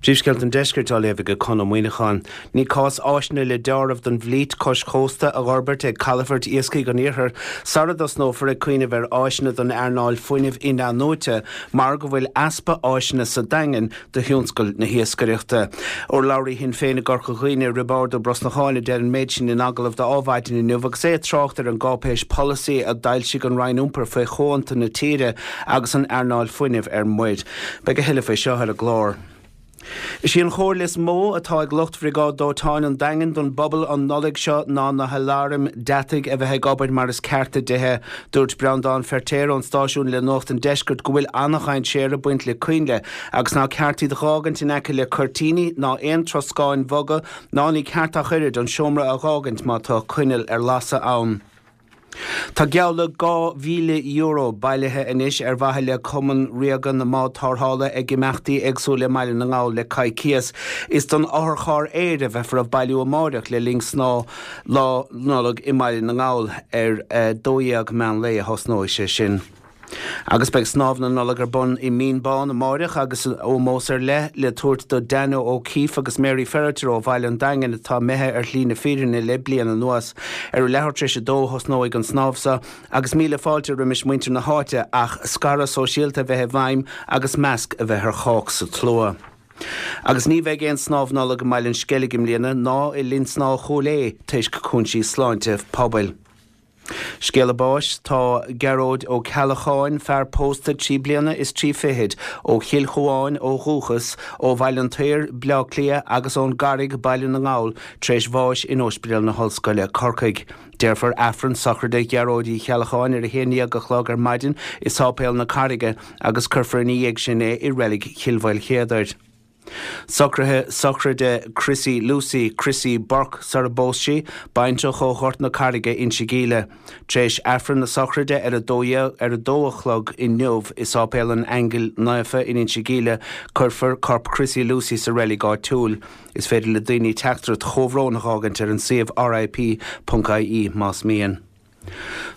Príomhscéalta an Deiscirt á léamh ag Conn Ó Muíneacháin. Ní cás áiseanna le deáramh don bhflít cois chósta a dh'fhorbairt ag calafoirt iascaigh an iarthair sara dtosnófar ag cuimhneamh ar áiseanna don earnáil fuinnimh in-athnuaite mar go bhfuil easpa áiseanna sa Daingean do thionscal na hiascaireachta. Urlabhraí Shinn Féin i gCorca Dhuibhne, Roibeárd Ó Brosnacháin a deir an méid sin in agallamh do Adhmhaidin inniu agus é ag trácht ar an gcáipéis polasaí a d'fhoilsigh an Roinn Iompair faoi chomhaontú na tíre agus an earnáil fuinnimh ar muir. Beidh a thuilleadh faoi seo ar an gclár. Is í an chomhairle is mó atá ag lucht Bhriogáid Dóiteáin an Daingin don bpobal an Nollaig seo ná na haláraim deataigh a bheith ag obair mar is ceart i dtithe. Dúirt Breandán Feirtéar ón stáisiún le Nuacht an Deiscirt go bhfuil an-dhainséar ag baint le coinnle agus ná ceart iad a dh'fhágaint in aice le cuirtíní ná aon troscáin bhoga ná ní ceart ach oiread an seomra a dh'fhágaint má tá coinneal ar lasadh ann. Tá geall le €2,000 bailithe anois ar mhaithe le Cumann Ríoga na mBád Tarrthála ag imeachtaí éagsúla i mBaile na nGall le coicíos. Is don otharcharr aeir a bheifear ag bailiú amáireach le linn snámh Lá Nollag i mBaile na nGall. Ar 12 meán lae a thosnóidh sé sin. Agus beidh Snámh na Nollag ar bun i Mín Bán amáireach agus ómós ar leith le tabhairt do Danno O'Keeffe agus Mary Ferriter ó bhaile an Daingin atá imithe ar shlí na fírinne le bliain anuas. Ar a leathuair tar éis a dó a thosnóidh an snámh seo agus míle fáilte roimis muintir na háite ach scaradh sóisialta a bheith i bhfeidhm agus masc a bheith ar chách sa tslua. Agus ní bheidh aon snámh Nollag i mBaile an Sceilg i mbliana ná i Linn Snámha Chúil Aodha toisc cúinsí sláinte pobail. Scéala báis, Tá Gearóid Ó Ceallacháin, fear pósta trí bliana is trí fichid, ó Chill Chuáin ó dhúchas, ó Bhaile an tSaoir, Bleá Cliath agus ón gCarraig, Baile na nGall, tar éis bháis in Ospidéal na hOllscoile, Corcaigh. Déarfar Aifreann sochraide Ghearóid Uí Cheallacháin ar 11 a chlog ar maidin i Sáipéal na Carraige agus cuirfear ina dhiaidh sin é i Reilig Chill Mhaoilchéadair. Socruithe sochraide Chrissy Lucy, Chrissy Burke sar a bpós sí, baintreach ó Ghort na Carraige, Inse Gíle. Tar éis Aifreann na sochraide ar a 12 ar a dó a chlog inniu i Sáipéal an Aingil Naofa in Inse Gíle, cuirfear corp Chrissy Lucy sa reilig áitiúil. Is féidir le daoine teachtaireacht chomhbhróin a dh'fhágaint ar an suíomh RIP.ie más mian.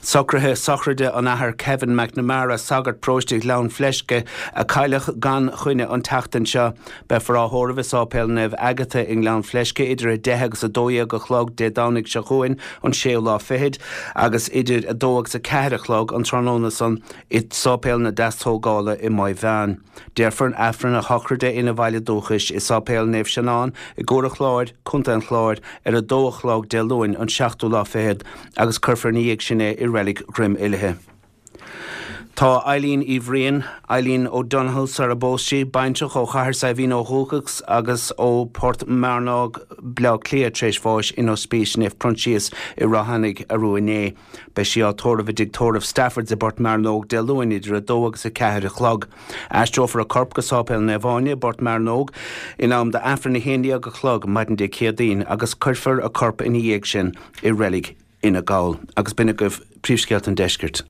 Socruithe sochraide an Athar Kevin McNamara, sagart paróiste Ghleann Fleisce, a cailleadh gan choinne an tseachtain seo. Beifear á thórramh i Sáipéal Naomh Agatha i nGleann Fleisce idir 10 agus 12 a chlog Dé Domhnaigh seo chugainn, an séú lá fichead, agus idir 2 agus 4 a chlog an tráthnóna san i Sáipéal na Deastógála i Maigh Mheáin. Déarfar Aifreann a shochraide ina bhaile dúchais i Sáipéal Naomh Seanán i gCuar an Chláir, Co. an Chláir, ar 2 a chlog Dé Luain, an seachtú lá fichead, agus cuirfear ina dhiaidh sin é i Reilig Dhroim Uilithe. Tá Eileen Uí Bhriain, Eileen O'Donoghue sar a bpós sí, baintreach ó Chathair Saidhbhín ó dhúchas agus ó Port Mearnóg, Bleá Cliath, tar éis bháis in Ospís Naomh Proinsias i Ráth Eanaigh arú inné. Beidh sí á tórramh i dtigh tórraimh Staffords i bPort Mearnóg Dé Luain idir 2 agus 4 a chlog. Aistreofar a corp go Sáipéal Naomh Áine i bPort Mearnóg in am d'Aifreann 11 a chlog maidin Dé Céadaoin agus cuirfear a corp ina dhiaidh sin i Reilig Fhine Gall. Agus b'in agaibh príomhscéalta an deiscirt.